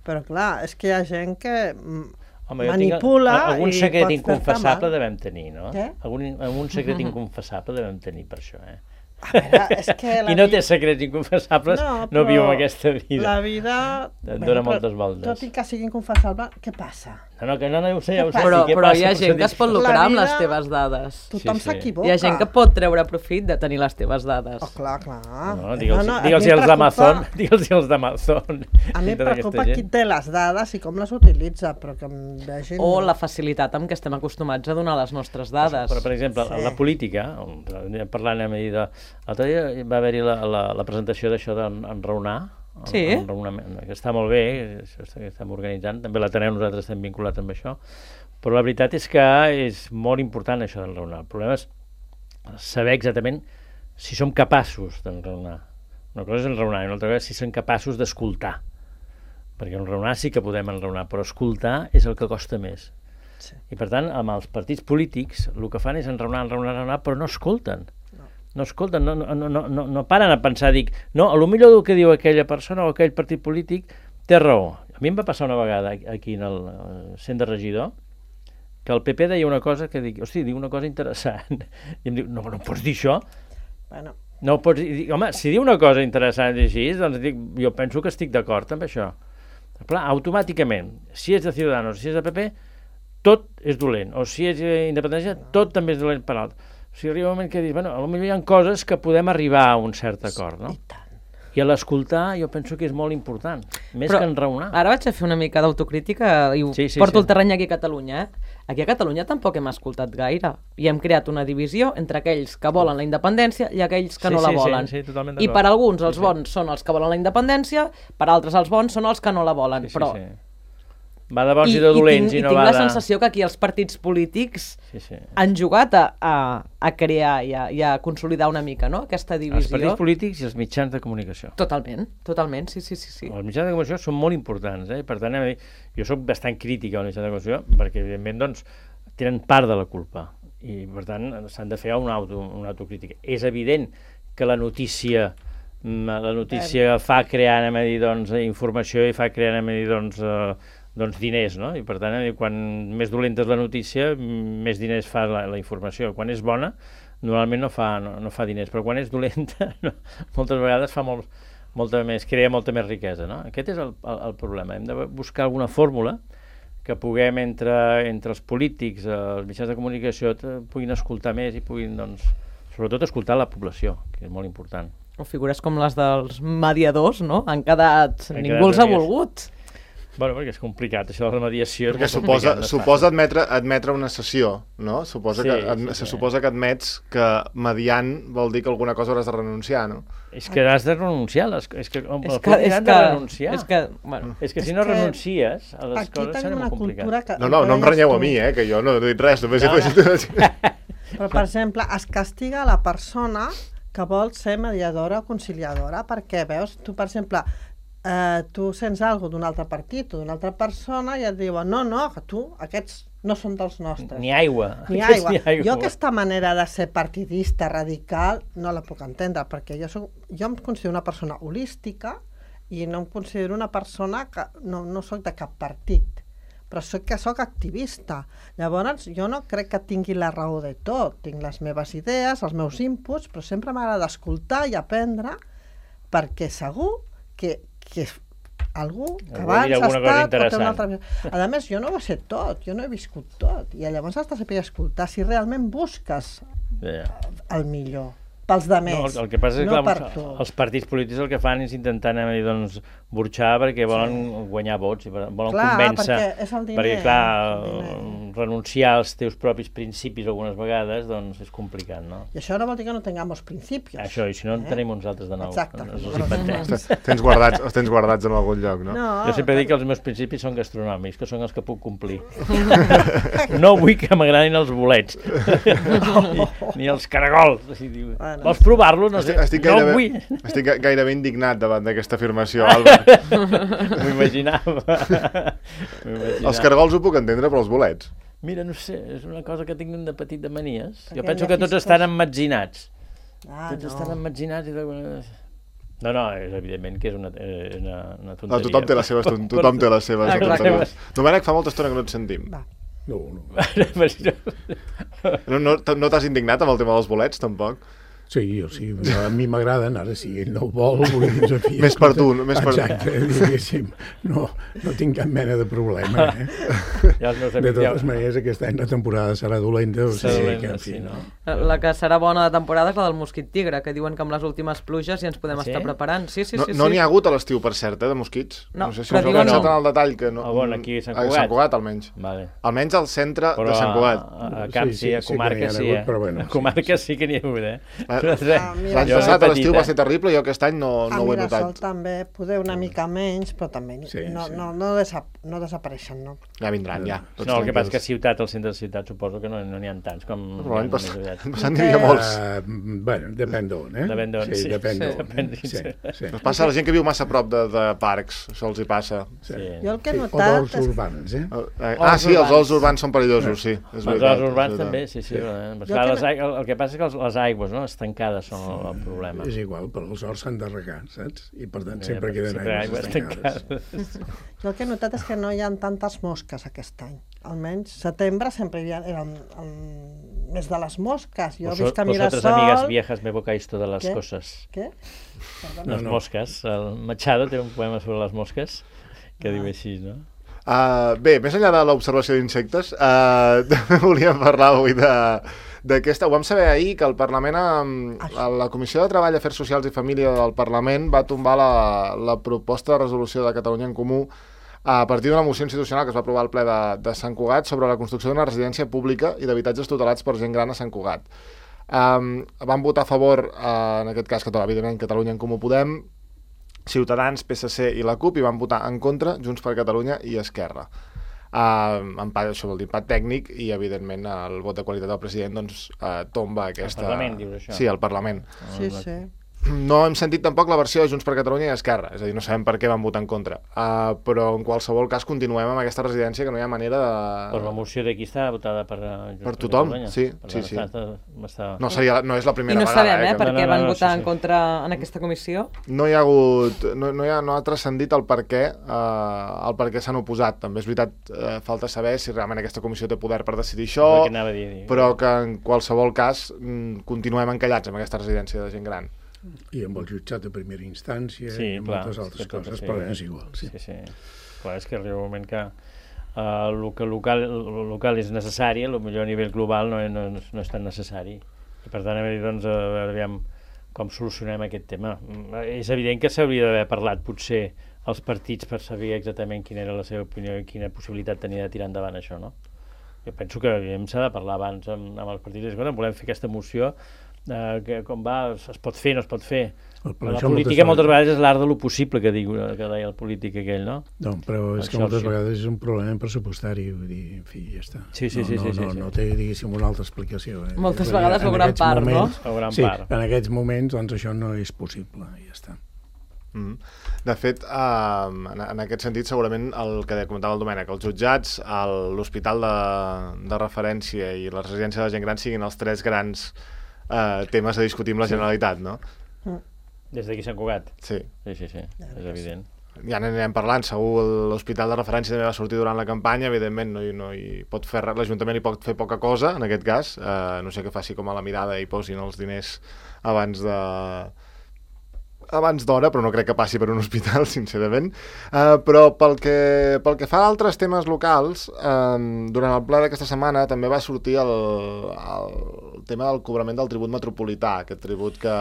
però clar, és que hi ha gent que mm, Home, jo manipula tinc, algun i secret pot fer-te inconfessable mal. devem tenir, no? Què? Algun, algun secret inconfessable devem tenir per això, eh? A veure, és que la I no vi- té secrets inconfessables, no, però viu en aquesta vida. La vida... Et Bé, dona però moltes voltes. Tot i que sigui inconfessable, què passa? No, no, que no, no, ja ho sé, ja ho sé. Però, sí, què però passa? hi ha gent que es pot lucrar La amb les vida- teves dades. Tothom sí. s'equivoca. Hi ha gent que pot treure profit de tenir les teves dades. Oh, clar, clar. No, digue'ls No, no, a digue'ls mi em als d'Amazon, preocupa- digue'ls als d'Amazon. A mi em Tota preocupa aquesta qui gent. té les dades i com les utilitza, però que em vegin... O no. la facilitat amb què estem acostumats a donar les nostres dades. Però, per exemple, Sí. sí. la política, parlant a mi de... L'altre dia va haver-hi la, la, la presentació d'això d'enraonar, Sí. enraonament, que està molt bé, això està, que estem organitzant, també l'Ateneu, nosaltres estem vinculats amb això, però la veritat és que és molt important això d'enraonar. El problema és saber exactament si som capaços d'enraonar. Una cosa és enraonar i una altra cosa és si som capaços d'escoltar. Perquè enraonar sí que podem enraonar, però escoltar és el que costa més. Sí. I per tant, amb els partits polítics el que fan és enraonar, enraonar, enraonar, però no escolten. No, no escolten, no, no, no, no, no paren a pensar, dic, no, a lo millor el que diu aquella persona o aquell partit polític té raó. A mi em va passar una vegada aquí en el centre de regidor, que el P P deia una cosa que dic, hosti, diu una cosa interessant. I em diu, no, no pots dir això? Bueno, No ho pots dir. Dic, home, si diu una cosa interessant i així, doncs dic, jo penso que estic d'acord amb això. Però clar, automàticament, si és de Ciudadanos, si és de P P, tot és dolent. O si és independència, tot també és dolent per l'altre. O sigui, arriba un moment que dius, bueno, potser hi ha coses que podem arribar a un cert acord, no? i tant. I a l'escoltar jo penso que és molt important, més Però que enraonar. Ara vaig a fer una mica d'autocrítica i ho Sí, sí, porto sí. el terreny aquí a Catalunya. Eh? Aquí a Catalunya tampoc hem escoltat gaire i hem creat una divisió entre aquells que volen la independència i aquells que Sí, no la sí, sí, volen. sí, totalment I d'acord. per alguns els Sí, sí. bons són els que volen la independència, per altres els bons són els que no la volen. Sí, sí, Però sí. Va de bons i, de dolents i, tinc, no i tinc va la de... sensació que aquí els partits polítics Sí, sí. han jugat a, a, a crear i a, i a consolidar una mica, no?, aquesta Els divisió. partits polítics i els mitjans de comunicació. Totalment, totalment, sí, sí, sí. sí. Els mitjans de comunicació són molt importants, eh? Per tant, a mi, jo sóc bastant crític als mitjans de comunicació perquè, evidentment, doncs, tenen part de la culpa i, per tant, s'han de fer una, auto, una autocrítica. És evident que la notícia la notícia fa crear, anem a dir, doncs, informació i fa crear, anem a dir, doncs, eh, doncs diners, no? I per tant, quan més dolenta és la notícia, més diners fa la, la informació. Quan és bona, normalment no fa, no, no fa diners, però quan és dolenta, no, moltes vegades fa molt, molta més, crea molta més riquesa, no? Aquest és el, el, el problema. Hem de buscar alguna fórmula que puguem entre, entre els polítics, els mitjans de comunicació, puguin escoltar més i puguin, doncs, sobretot escoltar la població, que és molt important. O figures com les dels mediadors, no? Han quedat... Han Ningú quedat els ha amics. volgut. Bueno, perquè és complicat, això de la mediació... Perquè és molt suposa, complicat, no és suposa fàcil. admetre, admetre una sessió, no? Suposa Sí, que, ad, sí, se sí. suposa que admets que mediant vol dir que alguna cosa hauràs de renunciar, no? És que has de renunciar, les, és que, el És que, polític és han que, de renunciar. és que, bueno, És que si És no que renuncies a les Aquí coses serà tenim una molt complicat. cultura que... No, no, no em deies renyeu tu. a mi, eh, que jo no he dit res, només No, he afegit... Però, per exemple, es castiga la persona que vol ser mediadora o conciliadora, perquè, veus, tu, per exemple, eh, tu sents alguna d'un altre partit o d'una altra persona i et diuen, no, no, que tu, aquests no són dels nostres. Ni aigua. Ni Aquests aigua. Ni aigua. Jo aquesta manera de ser partidista, radical, no la puc entendre, perquè jo, soc, jo em considero una persona holística i no em considero una persona que no, no soc de cap partit, però soc que soc activista. Llavors, jo no crec que tingui la raó de tot. Tinc les meves idees, els meus inputs, però sempre m'agrada escoltar i aprendre, perquè segur que, que algú que Algú dirà abans ha alguna cosa estat o té interessant. una altra... A més, jo no ho sé tot, jo no he viscut tot, i llavors has de saber escoltar si realment busques Ja. el millor pels de més, No, el, el que passa és que no clar, per tu. els partits polítics el que fan és intentar, anem a dir, doncs, burxar perquè volen sí. guanyar vots i volen Clar, convèncer. perquè és el diner, perquè, clar, el diner. renunciar als teus propis principis algunes vegades, doncs, és complicat, no? I això no vol dir que no tengamos principios. Això, i si no en Eh? tenim uns altres de nou. Exacte. No, no els inventem. Els tens guardats, els tens guardats en algun lloc, no? No, Jo sempre dic que els meus principis són gastronòmics, que són els que puc complir. No vull que m'agradin els bolets, ni, ni els caragols. Així, diu, Bueno. vols provar-lo? No sé, Estic, estic, no gairebé, vull. estic ga- gairebé indignat davant d'aquesta afirmació, Albert. M'ho imaginava. M'ho imaginava. Els caragols ho puc entendre, però els bolets. Mira, no sé, és una cosa que tinc de petit de manies. Perquè Jo penso hi ha que tots fiscos. estan emmetzinats. Ah, Tots no. estan emmetzinats i d'alguna... No, no, és evidentment que és una, és una, una No, tonteria. tothom té les seves, ton- tothom té les seves Ah, clar. tonteries. Domènec, fa molta estona que no et sentim. Va. No, no. Però... No, no, no t'has indignat amb el tema dels bolets, tampoc? Sí, jo, sí, a mi m'agraden, ara si ell no ho vol, vull dir, en fi, més per tu, més per tu. Exacte, diguéssim, no, no tinc cap mena de problema, eh? Ja els meus De amics, totes ja... maneres, aquest any la temporada serà dolenta, o Serà sigui dolenta, que, en fi, sí, no. La que serà bona de temporada és la del mosquit tigre, que diuen que amb les últimes pluges ja ens podem Sí? estar preparant. Sí, sí, No sí. no sí. n'hi ha hagut a l'estiu, per cert, eh, de mosquits. No, sé si però us heu diuen pensat no. en el detall que no... Ah, bueno, aquí a Sant A Cugat. Sant Cugat, almenys. Vale. Almenys al centre Però de Sant Cugat. a, a Camp Sí, sí, sí, a sí que comarca n'hi ha sí, hagut, eh? però bueno, A sí, comarca sí. sí que n'hi ha hagut, eh? Ah, mira, L'any Jo passat de a l'estiu petit, va eh? ser terrible, jo aquest any no, A no ho he Mirasol notat. també, poder una mica menys, però també Sí, no, sí. no, no, desa no desapareixen, no? Ja vindran, ja. Tots No, el que passa és que a tranquils. ciutat, al centre de ciutat, suposo que no no n'hi ha tants com... Però l'any més passat, aviat. l'any passat n'hi havia molts. Uh, bueno, depèn d'on, eh? Depèn d'on, sí. Sí, depèn Sí, d'on. depèn Sí, d'on. sí. Es passa a la gent que viu massa a prop de, de parcs, això els hi passa. Sí. Jo el que he Sí, o notat d'horts és... urbans, eh? Eh, Ah, sí, els urbans. horts urbans són perillosos, sí. És Els veritat, horts urbans és també, veritat. sí, sí. Sí. eh? Jo Clar, que les, no- aigües- el que passa és que els, les aigües, no?, estancades són el, el problema. És igual, però els horts s'han de regar, saps? I per tant Eh, sempre queden sempre aigües estancades. estancades. Jo el que he notat és que no hi ha tantes mosques aquest any. Almenys setembre sempre hi ha, era el, el mes de les mosques. Jo Vos- visc a Vosotros, Mirasol... amigas viejas, me evocáis todas las ¿Qué? cosas. Què? Perdona. Les no. mosques. El Machado té un poema sobre les mosques que diu així, no? Uh, bé, més enllà de l'observació d'insectes, uh, també volíem parlar avui de d'aquesta... Ho vam saber ahir que el Parlament, a la Comissió de Treball, Afers Socials i Família del Parlament va tombar la, la proposta de resolució de Catalunya en Comú a partir d'una moció institucional que es va aprovar al ple de, de Sant Cugat sobre la construcció d'una residència pública i d'habitatges tutelats per gent gran a Sant Cugat. Um, van votar a favor, uh, en aquest cas, que, evidentment, Catalunya en Comú Podem, Ciutadans, P S C i la CUP, i van votar en contra Junts per Catalunya i Esquerra. Uh, empat, això vol dir empat tècnic, i evidentment el vot de qualitat del president doncs, uh, tomba aquesta... Al Parlament, dius això? Sí, al Parlament. Sí, sí. No hem sentit tampoc la versió de Junts per Catalunya i Esquerra, és a dir, no sabem per què van votar en contra. Uh, però en qualsevol cas continuem amb aquesta residència que no hi ha manera de... Però la moció d'aquí està votada per uh, Junts Per tothom, Catalunya. sí, Per sí, tant, sí. Està, està... No, seria, no és la I primera no vegada. sabem, eh, que per no, què no, van no, votar sí, sí. en contra en aquesta comissió. no hi ha hagut, no, no, hi ha, no ha transcendit el per què, eh, el per què s'han oposat. També és veritat, eh, falta saber si realment aquesta comissió té poder per decidir això, És el que anava a dir, dir. però que en qualsevol cas mm, continuem encallats amb aquesta residència de gent gran. I amb el jutjat de primera instància Sí, i amb clar, moltes és altres que tot coses, així. però és igual. Sí. Sí, sí. Clar, és que arriba un moment que uh, el que local, el local és necessari, potser a nivell global no, no, no és tan necessari. I per tant, a veure, doncs, a veure aviam com solucionem aquest tema. Mm, És evident que s'hauria d'haver parlat, potser, els partits per saber exactament quina era la seva opinió i quina possibilitat tenia de tirar endavant això, no? Jo penso que s'ha de parlar abans amb, amb els partits. Escolta, volem fer aquesta moció, eh, que com va, es pot fer, no es pot fer. Però La això política moltes vegades... vegades és l'art de lo possible, que, diu, que deia el polític aquell, no? No, però és El que moltes Churchill. vegades és un problema pressupostari, vull dir, en fi, ja està. Sí, sí, no, sí, no, sí, sí, no, sí. no té, diguéssim, una altra explicació. Eh? Moltes Vull dir, vegades o en gran aquests part, no? moments, O gran sí, part. en aquests moments, doncs, això no és possible, i ja està. Mm. De fet, eh, en, en aquest sentit, segurament el que comentava el Domènec, els jutjats, el- l'hospital de, de referència i la residència de gent gran siguin els tres grans eh, temes a discutir amb la Generalitat, no? Des d'aquí Sant Cugat. Sí. Sí, sí, sí, és evident. Ja n'anem parlant, segur l'hospital de referència també va sortir durant la campanya, evidentment no hi, no hi pot fer res, l'Ajuntament hi pot fer poca cosa, en aquest cas, eh, no sé què faci com a la mirada i posin els diners abans de... abans d'hora, però no crec que passi per un hospital, sincerament. Uh, però pel que, pel que fa a altres temes locals, uh, durant el ple d'aquesta setmana també va sortir el, el tema del cobrament del tribut metropolità, aquest tribut que,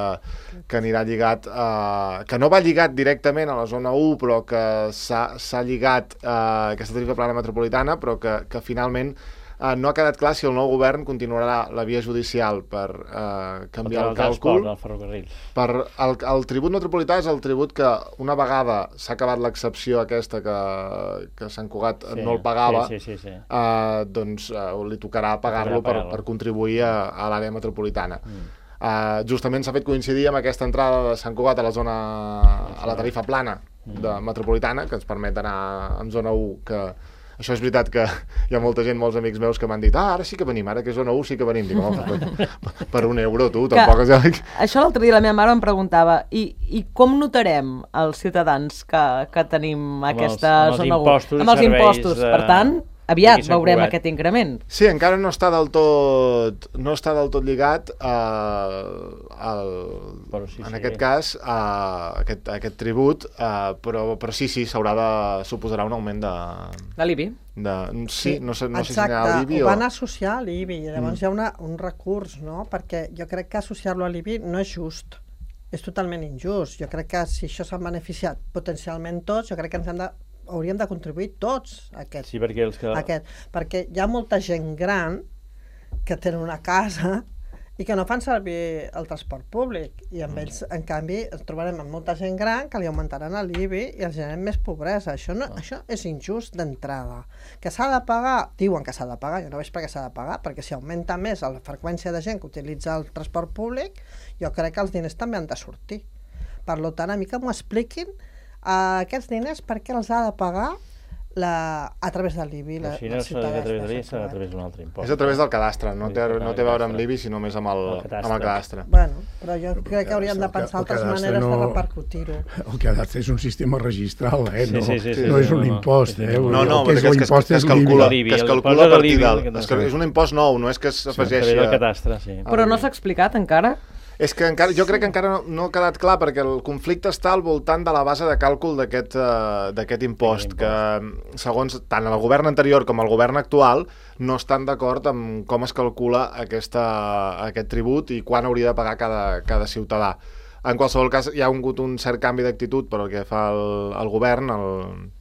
que anirà lligat, uh, que no va lligat directament a la zona u, però que s'ha lligat a uh, aquesta tarifa plana metropolitana, però que, que finalment Uh, no ha quedat clar si el nou govern continuarà la via judicial per uh, canviar el, el càlcul. El ferrocarril. Per el, el tribut metropolità és el tribut que una vegada s'ha acabat l'excepció aquesta que, que Sant Cugat sí, no el pagava, sí, sí, sí, sí. Uh, doncs uh, li tocarà pagar-lo per, per contribuir a, a l'àrea metropolitana. Mm. Uh, justament s'ha fet coincidir amb aquesta entrada de Sant Cugat a la zona, a la tarifa plana de metropolitana, que ens permet anar en zona u, que això és veritat que hi ha molta gent, molts amics meus que m'han dit ah, ara sí que venim, ara que és zona u sí que venim. Dic, oh, per, per un euro, tu, tampoc és... Que... Això l'altre dia la meva mare em preguntava i, i com notarem els ciutadans que, que tenim amb aquesta els, zona u? Amb els impostos, de... per tant, aviat veurem Cugat. aquest increment. Sí, encara no està del tot, no està del tot lligat a, el, sí, en sí. aquest cas uh, aquest, aquest tribut, uh, però, però sí, sí, s'haurà de suposarà un augment de... De l'I B I? De, sí, no sé, no sé si exacte, n'hi ha l'I B I ho o... van associar a l'I B I, i llavors mm. hi ha una, un recurs, no? Perquè jo crec que associar-lo a l'I B I no és just, és totalment injust. Jo crec que si això s'han beneficiat potencialment tots, jo crec que ens hem de hauríem de contribuir tots a aquest, sí, perquè, els que... aquest, perquè hi ha molta gent gran que tenen una casa i que no fan servir el transport públic, i amb ells, en canvi, ens trobarem amb molta gent gran que li augmentaran l'I B I i els generem més pobresa. Això, no, ah. això és injust d'entrada. Que s'ha de pagar, diuen que s'ha de pagar, jo no veig per què s'ha de pagar, perquè si augmenta més la freqüència de gent que utilitza el transport públic, jo crec que els diners també han de sortir. Per tant, a mi que m'ho expliquin, Uh, aquests diners per què els ha de pagar la, a través de l'I B I? La, Així no s'ha de a través de l'I B I, s'ha a través d'un altre impost. És a través del cadastre, no té, no té a veure amb l'I B I, sinó més amb el, el amb el cadastre. Bueno, però jo crec que hauríem de pensar altres maneres no... de repercutir-ho. El cadastre és un sistema registral, eh? No, sí, sí, sí, no sí, és un no, impost, eh? No, no, que és que, es, que es calcula, que es calcula a partir del... És un impost nou, no és que s'afegeixi... Sí, a cadastre, sí. Però no s'ha explicat encara? És que encara, jo crec que encara no, no ha quedat clar, perquè el conflicte està al voltant de la base de càlcul d'aquest uh, d'aquest impost, que segons tant el govern anterior com el govern actual no estan d'acord amb com es calcula aquesta, aquest tribut i quan hauria de pagar cada, cada ciutadà. En qualsevol cas, hi ha hagut un cert canvi d'actitud pel que fa el, el govern. El,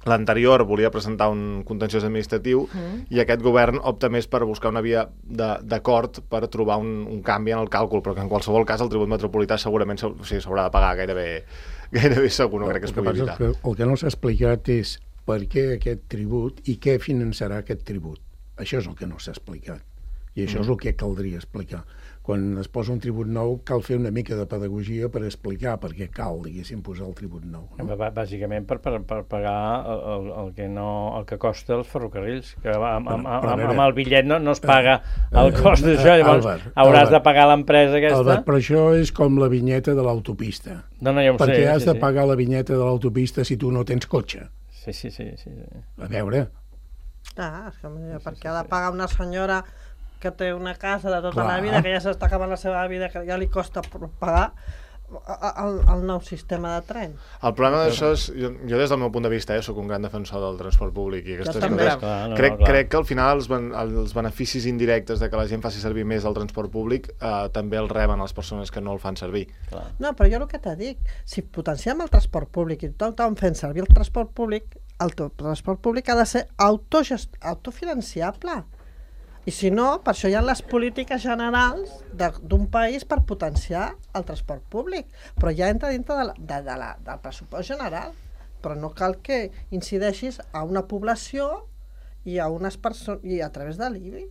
l'anterior volia presentar un contenciós administratiu mm. i aquest govern opta més per buscar una via d'acord per trobar un, un canvi en el càlcul, però que en qualsevol cas el tribut metropolità segurament s'haurà o sigui, de pagar gairebé, gairebé segur, no crec que es pugui evitar. Que el que no s'ha explicat és per què aquest tribut i què finançarà aquest tribut. Això és el que no s'ha explicat i això mm. és el que caldria explicar. Quan es posa un tribut nou cal fer una mica de pedagogia per explicar per què cal, diguéssim, posar el tribut nou. No? Bàsicament per, per, per pagar el, el, que no, el que costa els ferrocarrils, que amb, amb, amb, amb, amb el bitllet no, no es paga el cost d'això, llavors Albert, hauràs Albert, de pagar l'empresa aquesta. Albert, però això és com la vinyeta de l'autopista. No, no, ja ho perquè sé. has sí, de sí. pagar la vinyeta de l'autopista si tu no tens cotxe. Sí, sí, sí. sí, sí. A veure... Ah, és que perquè sí, sí, ha de pagar una senyora que té una casa de tota Clar. la vida, que ja s'està acabant la seva vida, que ja li costa pagar el, el nou sistema de tren. El problema d'això és, jo, jo des del meu punt de vista, eh, soc un gran defensor del transport públic i aquestes jo coses, clar, no, crec, no, crec que al final els, ben, els beneficis indirectes de que la gent faci servir més el transport públic eh, també els reben les persones que no el fan servir. Clar. No, però jo el que t'he dit, si potenciem el transport públic i tothom fent servir el transport públic, el transport públic ha de ser autogest... autofinanciable. I si no, per això hi ha les polítiques generals d'un país per potenciar el transport públic, però ja entra dintre de la, de, de la, del pressupost general, però no cal que incideixis a una població i a unes persones i a través de l'I B I.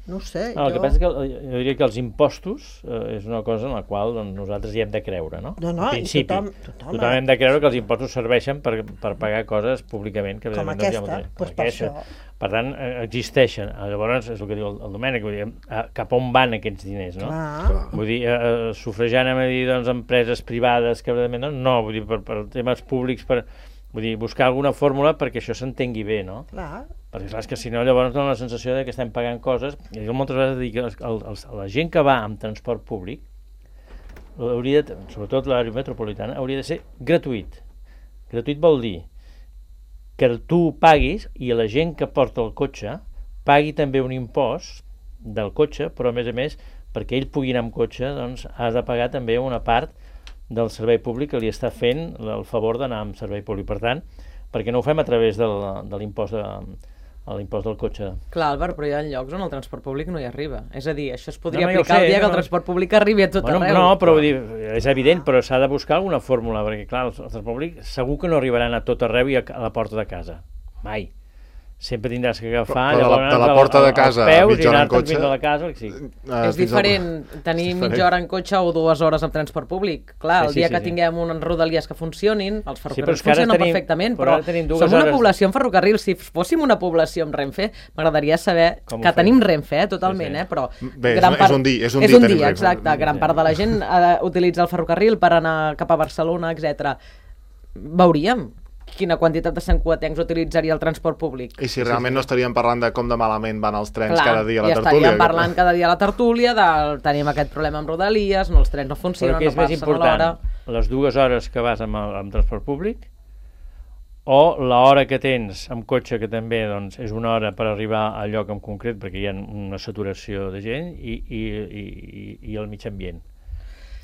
No ho sé. No, el jo... que passa és que jo diria que els impostos eh, és una cosa en la qual doncs, nosaltres hi hem de creure, no? No, no, en principi, tothom, tothom, tothom hem de creure que els impostos serveixen per, per pagar coses públicament. Que com aquesta, doncs pues per això. Per tant, existeixen. Llavors, és el que diu el, el Domènec, vull dir, cap on van aquests diners, no? Clar. Vull dir, eh, sufragant a dir, doncs, empreses privades que no, no, vull dir, per, per temes públics, per, vull dir, buscar alguna fórmula perquè això s'entengui bé, no? Clar. Perquè clar, és que si no llavors dona la sensació de que estem pagant coses, i jo moltes vegades dic que el, el, la gent que va amb transport públic, hauria de, sobretot l'àrea metropolitana, hauria de ser gratuït. Gratuït vol dir que tu paguis i la gent que porta el cotxe pagui també un impost del cotxe, però a més a més, perquè ell pugui anar amb cotxe, doncs has de pagar també una part del servei públic que li està fent el favor d'anar amb servei públic. Per tant, perquè no ho fem a través del, de l'impost de, l'impost del cotxe. Clar, Albert, però hi ha llocs on el transport públic no hi arriba. És a dir, això es podria no, no, aplicar sé, el dia no. que el transport públic arribi a tot bueno, arreu. No, però vull dir, és evident, però s'ha de buscar alguna fórmula, perquè clar, el transport públic segur que no arribaran a tot arreu i a la porta de casa. Mai. Sempre tindràs que agafar però, però de, la, de la porta de casa a peus mitja hora en cotxe fins a la casa, sí. uh, és diferent al... tenir diferent. mitja hora en cotxe o dues hores amb transport públic. Clar, el sí, sí, dia sí, que sí. tinguem unes rodalies que funcionin, els ferrocarrils sí, funcionen tenim, perfectament, però, però som una hores... població amb ferrocarrils. Si fóssim una població amb Renfe, m'agradaria saber Com que tenim Renfe, eh, totalment, sí, sí. eh, però... Bé, gran és, part... és un dia, és un és dia, un dia exacte. Gran sí. part de la gent uh, utilitza el ferrocarril per anar cap a Barcelona, etcètera. Veuríem quina quantitat de santcugatencs utilitzaria el transport públic. I si realment no estaríem parlant de com de malament van els trens Clar, cada dia a la i tertúlia. estaríem parlant cada dia a la tertúlia de tenim aquest problema amb Rodalies, no, els trens no funcionen, no passen a l'hora. Però què és més important, les dues hores que vas amb, el, amb transport públic o l'hora que tens amb cotxe, que també doncs, és una hora per arribar al lloc en concret perquè hi ha una saturació de gent i, i, i, i el mig ambient.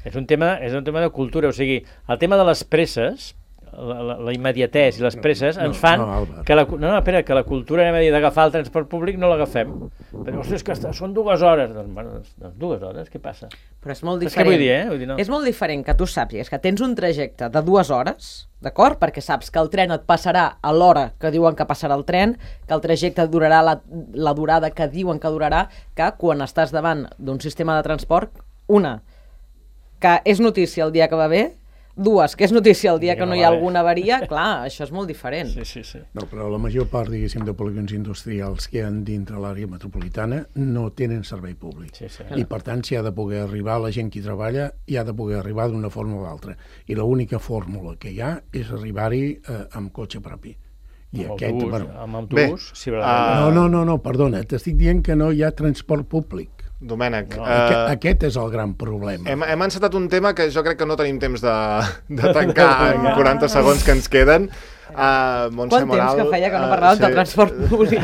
És un tema, és un tema de cultura, o sigui, el tema de les presses, la, la, la immediatès i les presses no, ens fan no, no, que, la, no, no, espera, que la cultura, anem a dir, d'agafar el transport públic no l'agafem. Però, ostres, que són dues hores. Doncs, bueno, doncs dues hores, què passa? Però és molt diferent. És que vull dir, eh? Vull dir, no. És molt diferent que tu sàpigues que tens un trajecte de dues hores, d'acord? Perquè saps que el tren et passarà a l'hora que diuen que passarà el tren, que el trajecte durarà la, la durada que diuen que durarà, que quan estàs davant d'un sistema de transport, una, que és notícia el dia que va bé, dues, que és notícia el dia que no hi ha alguna avaria, clar, això és molt diferent. Sí, sí, sí. No, però la major part, diguéssim, de polígons industrials que hi ha dintre l'àrea metropolitana no tenen servei públic. Sí, sí. I, per tant, s'hi ha de poder arribar, la gent que hi treballa, hi ha de poder arribar d'una forma o d'altra. I l'única fórmula que hi ha és arribar-hi eh, amb cotxe propi. I amb aquest, autobús, bueno, amb autobús, bé, sí, uh... no, no, no, no, perdona, t'estic dient que no hi ha transport públic. Domènec, no, uh, aquest, aquest és el gran problema. Hem, hem encetat un tema que jo crec que no tenim temps de, de tancar en quaranta segons que ens queden. Uh, Montse Quant Moral, temps que feia que no parlàvem uh, sí. de transport públic?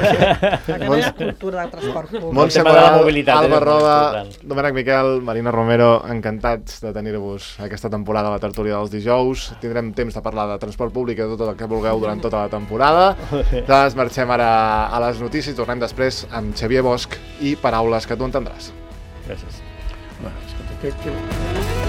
Que no hi ha cultura de transport públic. Montse Moral, Alba Roda, Domènec Miquel, Marina Romero, encantats de tenir-vos aquesta temporada a la tertúlia dels dijous. Tindrem temps de parlar de transport públic i de tot el que vulgueu durant tota la temporada. Doncs marxem ara a les notícies, tornem després amb Xavier Bosch i Paraules que tu entendràs. Gràcies. Bueno, escolta, que, que...